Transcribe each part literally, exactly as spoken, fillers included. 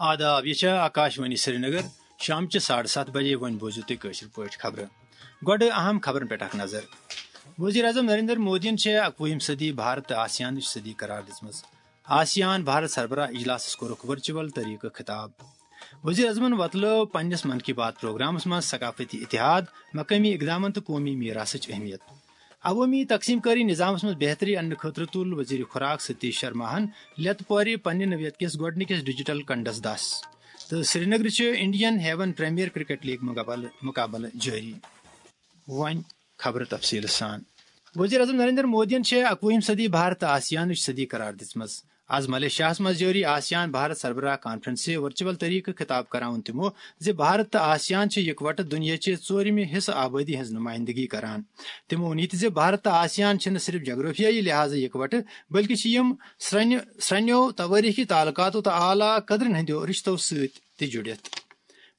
آداب، یہِ چھےٚ آکاشوانی سرینگر۔ شامچہِ ساڑٕ ستھ بجے، وۄنۍ بوٗزِو تُہۍ کٲشِر پٲٹھۍ خبرٕ۔ گۄڈٕ اہم خبرن پٮ۪ٹھ اکھ نظر۔ وزیر اعظم نریندر مودیَن چھےٚ اکوُہِم صدی بھارت تہٕ آسیانٕچ صدی قرار دِژمٕژ۔ آسیان بھارت سربراہ اجلاسَس کوٚرُکھ ورچوئل طریقہٕ خطاب۔ وزیر اعظمَن وۄتلٲو پننِس من کی بات پروگرامَس منٛز ثقافتی اتحاد، مقٲمی اقدامن تہٕ قومی میراثٕچ اہمیت۔ عوٲمی تقسیم کٲری نظامَس منٛز بہتری اننہٕ خٲطرٕ تُل وزیر خوراک ستیش شرماہَن لتہٕ پورِ پننہِ نوعیت کِس گۄڈٕنِکِس ڈیجیٹل کنڈس دس۔ تہٕ سرینگرٕ چھِ Indian Heaven Premier Cricket League مقابلہٕ، مقابلہٕ جٲری۔ وۄنۍ خبرٕ تفصیٖل سان۔ وزیر اعظم نریندر مودیَن چھےٚ اکوُہِم صدی بھارت تہٕ آسیانٕچ صدی قرار دِژمٕژ۔ از ملیشیاہس منٛز جٲری آسیان بھارت سربراہ کانفرنسہِ ورچوئل طریقہٕ خطاب کرناوُن تِمو زِ بھارت تہٕ آسیان چھِ یکوٹہٕ دُنیاہچہِ ژوٗرِمہِ حصہٕ آبٲدی ہٕنٛز نمائندگی کران۔ تِمو ووٚن یہِ تہِ زِ بھارت تہٕ آسیان چھِنہٕ صرف جغرافیائی لحاظہٕ یکوٹہٕ، بلکہِ چھِ یِم سرٛنہِ، سرٛنیو توٲریخی تعلقاتو تہٕ اعلیٰ قدرن ہٕنٛدیو رشتو سۭتۍ تہِ جُڑِتھ۔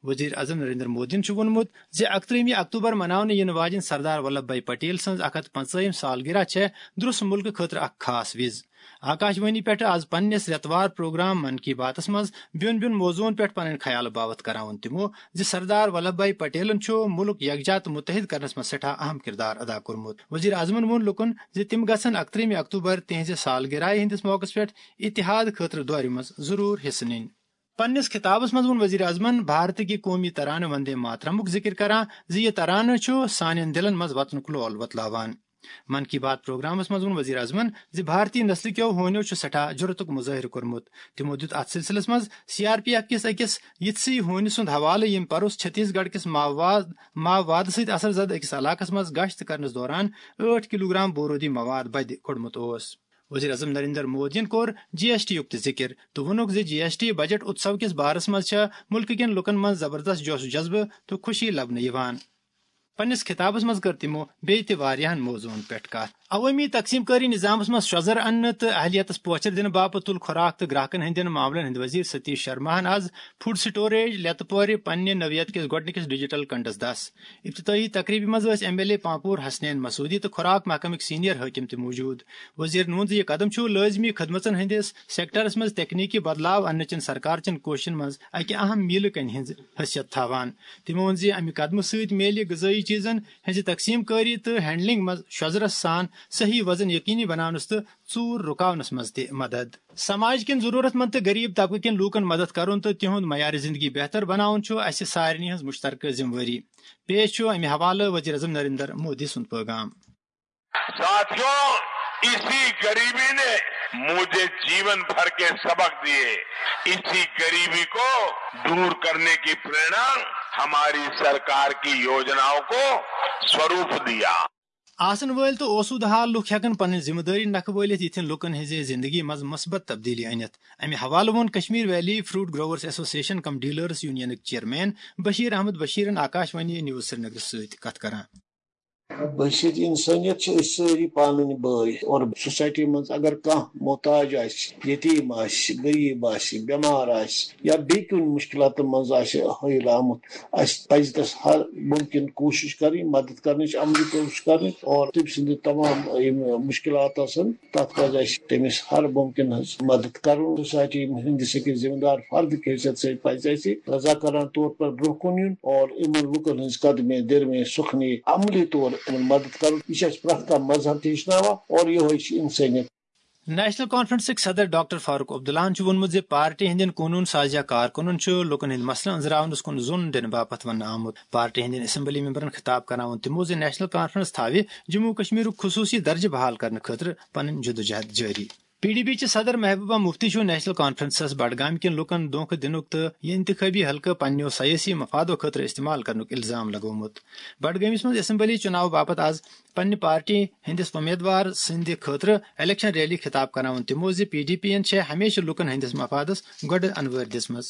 وزیر اعظم نریندر مودیَن چھُ ووٚنمُت زِ اکترٛہمہِ اکتوبر مناونہٕ یِنہٕ واجٮ۪ن سردار ولبھ بھائی پٹیل سٕنٛز اکھ ہتھ پنٛژٲہِم سالگرہ چھےٚ درٛوس ملکہٕ خٲطرٕ اکھ خاص وِز۔ آکاشوانی پٮ۪ٹھ آز پننِس رٮ۪توار پروگرام من کی باتس منٛز بیوٚن بیوٚن موضوعن پٮ۪ٹھ پنٕنۍ خیال باوتھ کرناوُن تِمو زِ سردار ولبھ بھائی پٹیلن چھُ ملک یکجا تہٕ متحد کرنس منٛز سٮ۪ٹھاہ اہم کردار ادا کوٚرمُت۔ وزیر اعظمن ووٚن لوٗکن زِ تِم گژھن اکترٛہمہِ اکتوبر تِہنٛزِ سالگرہ ہٕنٛدِس موقعس پٮ۪ٹھ اتحاد خٲطرٕ دورِ منٛز ضروٗر حصہٕ نِنۍ۔ پننِس خطابس منٛز ووٚن وزیر اعظمن بھارت کہِ قومی ترانہٕ وندے ماترمُک ذکر کران زِ یہِ ترانہٕ چھُ سانٮ۪ن دِلن منٛز وطنُک لول وۄتلاوان۔ من کی بات پروگرامس منٛز ووٚن وزیر اعظمن زِ بھارتی نسلہٕ کیو ہونیو چھُ سٮ۪ٹھاہ جرأتُک مظٲہرٕ کوٚرمُت۔ تِمو دیُت اتھ سلسلس منٛز سی آر پی ایف کِس أکِس یِتھسٕے ہونہِ سُنٛد حوالہٕ، ییٚمۍ پروٚس چھتیس گڑھ کِس ماواد، ماوادٕ سۭتۍ اثر زدٕ أکِس علاقس منٛز گشت کرنس دوران ٲٹھ کلوگرام بورودی مواد بدِ کوٚڑمُت اوس۔ وزیر اعظم نریندر مودیَن کوٚر جی ایس ٹی یُک تہِ ذکر تہٕ ووٚنُکھ زِ جی ایس ٹی بجٹ اتسو کِس بارس منٛز چھےٚ ملکہٕ کٮ۪ن لوٗکن منٛز زبردست جوش و جذبہٕ تہٕ خوشی لبنہٕ یِوان۔ پننِس خطابس منٛز کٔر تِمو بیٚیہِ تہِ واریاہن موضوعن پٮ۪ٹھ کتھ۔ عوٲمی تقسیم کٲری نظامس منٛز شۄزر اننہٕ تہٕ اہلیتس پوچھر دِنہٕ باپتھ تُل خوراک تہٕ گراہکن ہٕنٛدٮ۪ن معاملن ہٕنٛدۍ وزیر ستیش شرماہن از فوڈ سٹوریج لتہٕ پورِ پننہِ نوعیت کِس گۄڈٕنِکِس ڈیجیٹل کنڈس دس۔ افتتاحی تقریبہِ منٛز ٲسۍ M L A Pampore Hasnain Masoodi تہٕ خوراک محکمٕکۍ سینئر حٲکم تہِ موجود۔ وزیرن ووٚن زِ یہِ قدم چھُ لٲزمی خدمژن ہٕنٛدِس سیکٹرس منٛز تکنیکی بدلاو اننہٕ چٮ۪ن سرکار چٮ۪ن کوٗششن منٛز اکہِ اہم میلہٕ کنہِ ہٕنٛز حیثیت تھاوان۔ تِمو ووٚن زِ امہِ قدمہٕ سۭتۍ میلہِ غذٲیی چیزن ہٕنٛزِ تقسیم کٲری تہٕ ہینڈلنگ منٛز شۄزرس سان صحیح وزن یقینی بناونس تہٕ ژوٗر رُکاونس منٛز تہِ مدد۔ سماج کٮ۪ن ضروٗرت مند تہٕ غریب طبقہٕ کٮ۪ن لوٗکن مدد کرُن تہٕ تِہُنٛد معیار زندگی بہتر بناوُن چھُ اسہِ سارنٕے ہٕنٛز مشترکہٕ ذمہٕ وٲری۔ پیش چھُ امہِ حوالہٕ وزیر اعظم نریندر مودی سُنٛد پیغام۔ ساتھیوں، اسی غریبی نے مجھے جیون بھر کے سبق دیے۔ اسی غریبی کو دور کرنے کی प्रेरणा हमारी सरकार की योजनाओं को स्वरूप दिया। آسن وٲلۍ تہٕ اوسوٗدٕ حال لُکھ ہٮ۪کن پنٕنۍ ذمہٕ دٲری نکھٕ وٲلِتھ یِتھٮ۪ن لُکن ہٕنٛزِ زندگی منٛز مثبت تبدیلی أنِتھ۔ امہِ حوالہٕ ووٚن Kashmir valley fruit growers association cum dealers یونینٕک چیئرمین بشیر احمد بشیرن آکاشوانی نیوز سرینگرس سۭتۍ کتھ کران۔ بحیثیت انسانیت چھِ أسۍ سٲری پانہٕ ؤنۍ بٲے اور سوسایٹی منٛز اگر کانٛہہ محتاج آسہِ، یتیٖم آسہِ، غریٖب آسہِ، بٮ۪مار آسہِ یا بیٚیہِ کُنہِ مُشکلاتن منٛز آسہِ ہٲیِل آمُت، اَسہِ پَزِ تَس ہر مُمکِن کوٗشِش کَرٕنۍ، مدد کَرنٕچ، عملی کوٗشِش کَرٕنۍ اور تٔمۍ سٕنٛدِ تمام یِم مُشکلات آسَن، تَتھ پَزِ اَسہِ تٔمِس ہر مُمکِن ہٕنٛز مدد کَرُن۔ سوسایٹی ہٕنٛدِس أکِس ذمہٕ دار فردٕ کہِ حیثیت سۭتۍ پَزِ اَسہِ رضاکارانہٕ طور پر برٛونٛہہ کُن یُن اور یِمَن لُکَن ہٕنٛز قدمے درمے سُخنی عملی طور یِمَن مدد کَرُن۔ یہِ چھِ اَسہِ پرٛٮ۪تھ کانٛہہ مذہب تہِ ہیٚچھناوان اور یِہوٚے چھِ اِنسٲنیت۔ نیشنل کانفرنسٕکۍ صدر ڈاکٹر فاروق عبداللہن چھُ ووٚنمُت زِ پارٹی ہٕنٛدٮ۪ن قونوٗن سازیہ کارکُنن چھُ لوٗکن ہٕنٛدۍ مسلہٕ أنٛزراونس کُن زوٚن دِنہٕ باپتھ وننہٕ آمُت۔ پارٹی ہٕنٛدٮ۪ن اسمبلی ممبرن خطاب کرناوُن تِمو زِ نیشنل کانفرنس تھاوِ جموں و کشمیرُک خصوٗصی درجہٕ بحال کرنہٕ خٲطرٕ پنٕنۍ جدوجہد جٲری۔ پی ڈی پی چہِ صدر محبوبہ مفتی چھُ نیشنل کانفرنسس بڈگام کٮ۪ن لوٗکن دھوکہٕ دِنُک تہٕ یہِ انتخابی حلقہٕ پننیو سیٲسی مفادو خٲطرٕ استعمال کرنُک الزام لگومُت۔ بڈگٲمِس منٛز اسمبلی چُناو باپتھ آز پننہِ پارٹی ہٕنٛدِس امیدوار سٕنٛدِ خٲطرٕ الیکشن ریلی خطاب کرناوُن تِمو زِ پی ڈی پی یَن چھےٚ ہمیشہٕ لوٗکن ہٕنٛدِس مفادس گۄڈٕ انوٲرۍ دِژمٕژ۔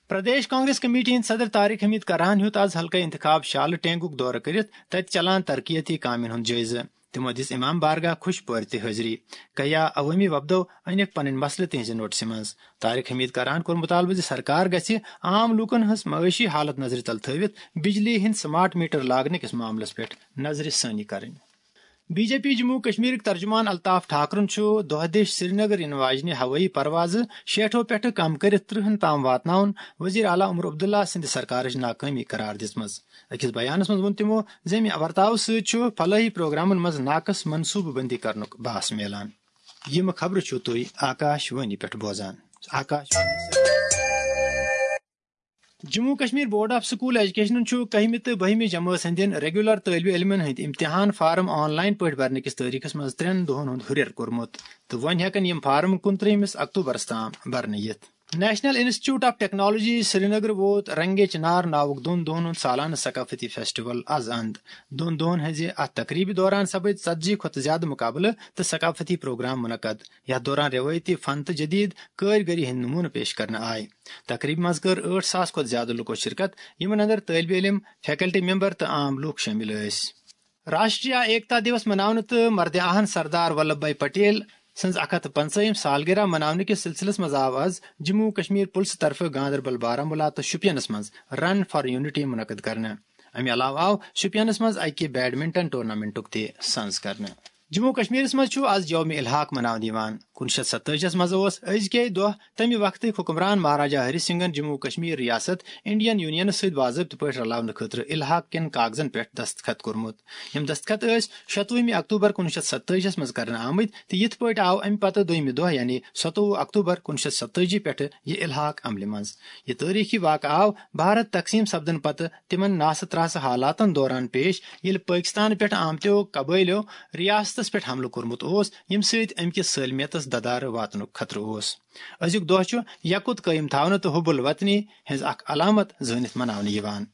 پردیش کانگریس کمیٹی ہٕنٛدۍ صدر طارق حمید کرہن ہیوٚت آز حلقہٕ انتخاب شالہٕ ٹینگُک دورٕ کٔرِتھ تتہِ چلان ترقیتی کامٮ۪ن ہُنٛد جٲیزٕ۔ تِمو دِژ امام بارگاہ خۄش پٲرۍ تہِ حٲضری۔ کیا عوٲمی وفدو أنِکھ پنٕنۍ مسلہٕ تِہنٛزِ نوٹسہِ منٛز۔ طارق حمید کرہن کوٚر مطالبہٕ زِ سرکار گژھِ عام لوٗکن ہٕنٛز معٲشی حالت نظرِ تل تھٲوِتھ بجلی ہٕنٛدۍ سمارٹ میٹر لاگنہٕ کِس معاملس پٮ۪ٹھ نظرِ ثٲنی کرٕنۍ۔ بی جے پی جموں کشمیرٕکۍ ترجمان الطاف ٹھاکرن چھُ دۄہ دِش سرینگر یِنہٕ واجنہِ ہوٲیی پروازٕ شیٹھو پٮ۪ٹھٕ کم کٔرِتھ ترٕہن تام واتناوُن وزیر اعلیٰ عمر عبداللہ سٕنٛدِ سرکارٕچ ناکٲمی قرار دِژمٕژ۔ أکِس بیانس منٛز ووٚن تِمو زِ امہِ ورتاوٕ سۭتۍ چھُ فلٲحی پروگرامن منٛز ناقص منصوٗبہٕ بندی کرنُک بھاس میلان۔ یِم خبرٕ چھِو تُہۍ آکاش وانی پٮ۪ٹھ بوزان۔ Akashvani. Jammu Kashmir board of school ایجوکیشنن چھُ کٔہمہِ تہٕ بٔہمہِ جمٲژ ہٕنٛدٮ۪ن ریگولر طٲلبہِ علمن ہٕنٛدۍ امتحان فارم آن لائن پٲٹھۍ برنہٕ کِس تٲریخس منٛز ترٛٮ۪ن دۄہن ہُنٛد ہُرٮ۪ر کوٚرمُت، تہٕ وۄنۍ ہٮ۪کن یِم فارم کُنترٛہمِس اکتوبرس تام برنہٕ یِتھ۔ National institute of technology Srinagar ووت رنگے چنار ناوُک دۄن دۄہن ہُنٛد سالانہٕ ثقافتی فیسٹیول از اند۔ دۄن دۄہن ہٕنٛزِ اتھ تقریبہِ دوران سپٕدۍ ژتجی کھۄتہٕ زیادٕ مقابلہٕ تہٕ ثقافتی پروگرام منعقد، یتھ دوران روایتی فن تہٕ جدید کٲرۍ گٔری ہٕنٛدۍ نمونہٕ پیش کرنہٕ آے۔ تقریبہِ منٛز کٔر ٲٹھ ساس کھۄتہٕ زیادٕ لوٗکو شرکت، یِمن اندر طٲلبہِ علم، فیکلٹی ممبر تہٕ عام لوٗکھ شٲمِل ٲسۍ۔ راشٹریہ ایکتا دیوس مناونہٕ تہٕ مردِ آہن سردار ولبھ بھائی پٹیل سٕنٛز اکھ ہتھ تہٕ پنٛژاہِم سالگرہ مناونہٕ کِس سلسلس منٛز آو از جموں و کشمیر پُلسہٕ طرفہٕ گاندربل، بارہمولہ تہٕ شوپینس منٛز رن فار یونٹی منعقد کرنہٕ۔ امہِ علاوٕ آو شوپینس منٛز اکہِ بیڈمنٹن ٹورنامنٹُک تہِ سنز کرنہٕ۔ جموں و کشمیرس منٛز چھُ از یوم الحاق مناونہٕ یِوان۔ کُنوُہ شیٚتھ ستٲجی منٛز اوس أزکے دۄہ تمہِ وقتٕکۍ حکمران مہاراجا ہری سنگھن جموں و کشمیر ریاست انڈین یونینس سۭتۍ باضٲبطہٕ پٲٹھۍ رلاونہٕ خٲطرٕ الحاق کٮ۪ن کاغذن پٮ۪ٹھ دستخط کوٚرمُت۔ یِم دستخط ٲسۍ شتوُہمہِ اکتوبر کُنوُہ شیٚتھ ستٲجی منٛز کرنہٕ آمٕتۍ، تہٕ یِتھ پٲٹھۍ آو امہِ پتہٕ دوٚیمہِ دۄہ، یعنی ستووُہ اکتوبر کُنوُہ شیٚتھ ستٲجی پٮ۪ٹھٕ یہِ الحاق عملہِ منٛز۔ یہِ تٲریخی واقعہٕ آو بھارت تقسیم سپدن پتہٕ تِمن ناسہٕ تراسہٕ حالاتن دوران پیش، ییٚلہِ پٲکستان پٮ۪ٹھ آمتیو قبٲیلیو ریاستس پٮ۪ٹھ حملہٕ کوٚرمُت اوس، ییٚمہِ سۭتۍ امہِ کِس سٲلمیتس ددارٕ واتنُک خطرٕ اوس۔ أزیُک دۄہ چھُ یقُت قٲیِم تھاونہٕ تہٕ حب الوطنی ہٕنٛز اکھ علامت زٲنِتھ مناونہٕ یِوان۔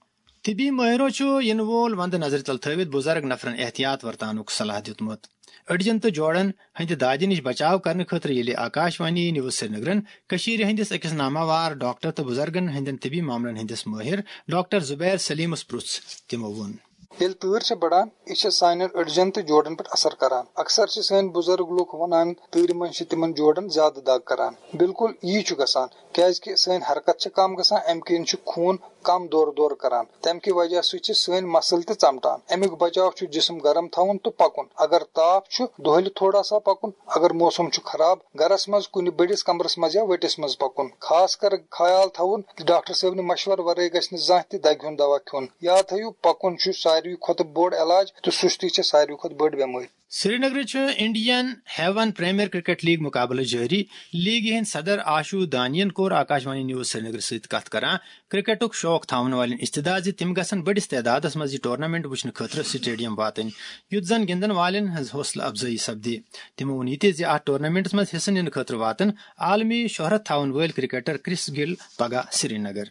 طبی مٲہرو چھُ یِنہٕ وول وندٕ نظرِ تل تھٲوِتھ بُزرگ نفرن احتیاط ورتاونُک صلاح دیُتمُت۔ أڈجن تہٕ جوڑن ہٕنٛدِ دادِ نِش بچاو کرنہٕ خٲطرٕ ییٚلہِ آکاش وانی نیوز سرینگرن کٔشیٖرِ ہٕنٛدِس أکِس ناماوار ڈاکٹر تہٕ بُزرگن ہٕنٛدٮ۪ن طبی معاملن ہٕنٛدِس مٲہِر ڈاکٹر زبیر سلیمس پرُژھ، تِمو ووٚن۔ ییٚلہِ تۭر چھےٚ بڑان، یہِ چھےٚ سانٮ۪ن أڈجن تہٕ جوڑن پٮ۪ٹھ اثر کران۔ اکثر چھِ سٲنۍ بُزرگ لوٗکھ ونان، تۭرِ منٛز چھِ تِمن جوڑن زیادٕ دگ کران۔ بالکل یی چھُ گژھان، کیازِ کہِ سٲنۍ حرکت چھِ کم گژھان، امہِ کِنۍ چھُ خوٗن کم دورٕ دورٕ کران۔ تمہِ کہِ وجہ سۭتۍ چھِ سٲنۍ مسل تہِ ژمٹان۔ امیُک بچاو چھُ جسم گرم تھاوُن تہٕ پکُن۔ اگر تاپھ چھُ، دۄہلہِ تھوڑا سا پکُن۔ اگر موسم چھُ خراب، گرس منٛز کُنہِ بٔڑِس کمرس منٛز یا ؤٹِس منٛز پکُن۔ خاص کر خیال تھاوُن زِ ڈاکٹر صٲبنہِ مشورٕ ورٲے گژھِ نہٕ زانٛہہ تہِ دگہِ ہُنٛد دوا کھیوٚن۔ یاد تھٲیِو، پکُن چھُ ساروی کھۄتہٕ بوٚڑ علاج تہٕ سُستی چھےٚ ساروی کھۄتہٕ بٔڑ بٮ۪مٲرۍ۔ سرینگرٕ چھُ Indian Heaven Premier Cricket League مقابلہٕ جٲری۔ لیگہِ ہٕنٛدۍ صدر آشو دانین کوٚر آکاشوانی نیوز سرینگرٕ سۭتۍ کتھ کران کرکٹُک شوق تھاون والٮ۪ن استدعا زِ تِم گژھن بٔڑِس تعدادس منٛز یہِ ٹورنامنٹ وٕچھنہٕ خٲطرٕ سٹیڈیم واتٕنۍ، یُتھ زن گِنٛدن والٮ۪ن ہٕنٛز حوصلہٕ افزٲیی سپدِ۔ تِمو ووٚن یہِ تہِ زِ اتھ ٹورنامنٹس منٛز حصہٕ نِنہٕ خٲطرٕ واتن عالمی شہرت تھاون وٲلۍ کرکٹر کرس گِل پگاہ سرینگر۔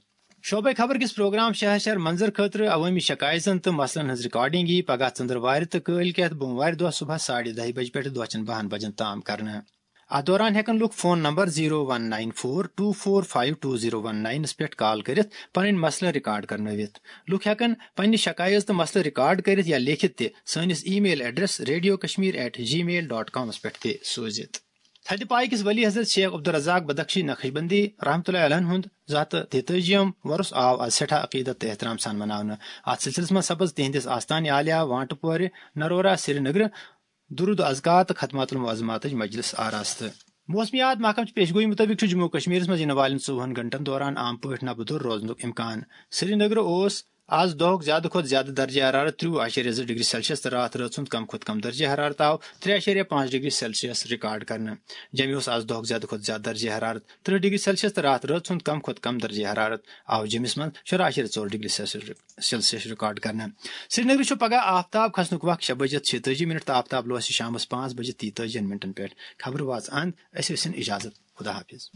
شعبے خبر کِس پروگرام شہر شہر منظر خٲطرٕ عوٲمی شکایژن تہٕ مسلن ہٕنٛز ریکارڈنگ یی پگاہ ژٔنٛدٕروارِ تہٕ کٲلۍ کٮ۪تھ بوموارِ دۄہ صبحس ساڑِ دَہہِ بجہِ پٮ۪ٹھ دۄہ چٮ۪ن بَہَن بجن تام کرنہٕ۔ اتھ دوران ہٮ۪کن لوٗکھ phone number zero one nine four two four five two zero one ناینس پٮ۪ٹھ کال کٔرِتھ پنٕنۍ مسلہٕ ریکارڈ کرنٲوِتھ۔ لوٗکھ ہٮ۪کن پننہِ شکایژ تہٕ مسلہٕ ریکارڈ کٔرِتھ یا لیکھِتھ تہِ سٲنِس email address radio Kashmir at Gmail dot کامس پٮ۪ٹھ تہِ سوٗزِتھ۔ تھدِ پایہِ کِس ولی حضرت شیخ عبدالرزاق بدخشی نقشبندی رحمتہ اللہ علیہ ہُنٛد زٕ ہتھ تہٕ تیتٲجی یم ورُس آو از سٮ۪ٹھاہ عقیدت تہٕ احترام سان مناونہٕ۔ اتھ سلسلس منٛز سپٕز تِہنٛدِس آستانہِ عالیہ وانٹہٕ پورِ نرورا سرینگرٕ درود و اذکار تہٕ ختمات المعظماتٕچ مجلس آراستہٕ۔ موسمیات محکمہٕ چہِ پیشگوئی مُطٲبِق چھُ جموں و کشمیرس منٛز یِنہٕ والٮ۪ن ژوٚوُہن گھنٹن دوران عام پٲٹھۍ نبہٕ دوٚر روزنُک امکان۔ سرینگرٕ اوس از دۄہُک زیادٕ کھۄتہٕ زیادٕ درجہ حرارت ترٛوُہ اعشاریہ زٕ ڈگری سیلسیس تہٕ راتھ رٲژ ہُنٛد کم کھۄتہٕ کم درجہ حرارت آو ترٛےٚ اعشاریہ پانٛژھ ڈگری سیلسیس ریکارڈ کرنہٕ۔ جوٚمہِ اوس از دۄہُک زیادٕ کھۄتہٕ زیادٕ درجہ حرارت ترٕٛہ ڈگری سیلسیس تہٕ راتھ رٲژ ہُنٛد کم کھۄتہٕ کم درجہ حرارت آو جوٚمِس منٛز شُراہ اعشاریہ ژور ڈگری سیلسیس سیلسیس ریکارڈ کرنہٕ۔ سرینگرٕ چھُ پگاہ آفتاب کھسنُک وق شےٚ بجے تہٕ شیٚتٲجی منٹ تہٕ آفتاب لوسہِ شامس پانٛژھ بجے تہٕ تیتٲجی منٹن پٮ۪ٹھ۔ خبرٕ واژٕ اند، أسۍ ٲسِن اجازت۔ خدا حافظ۔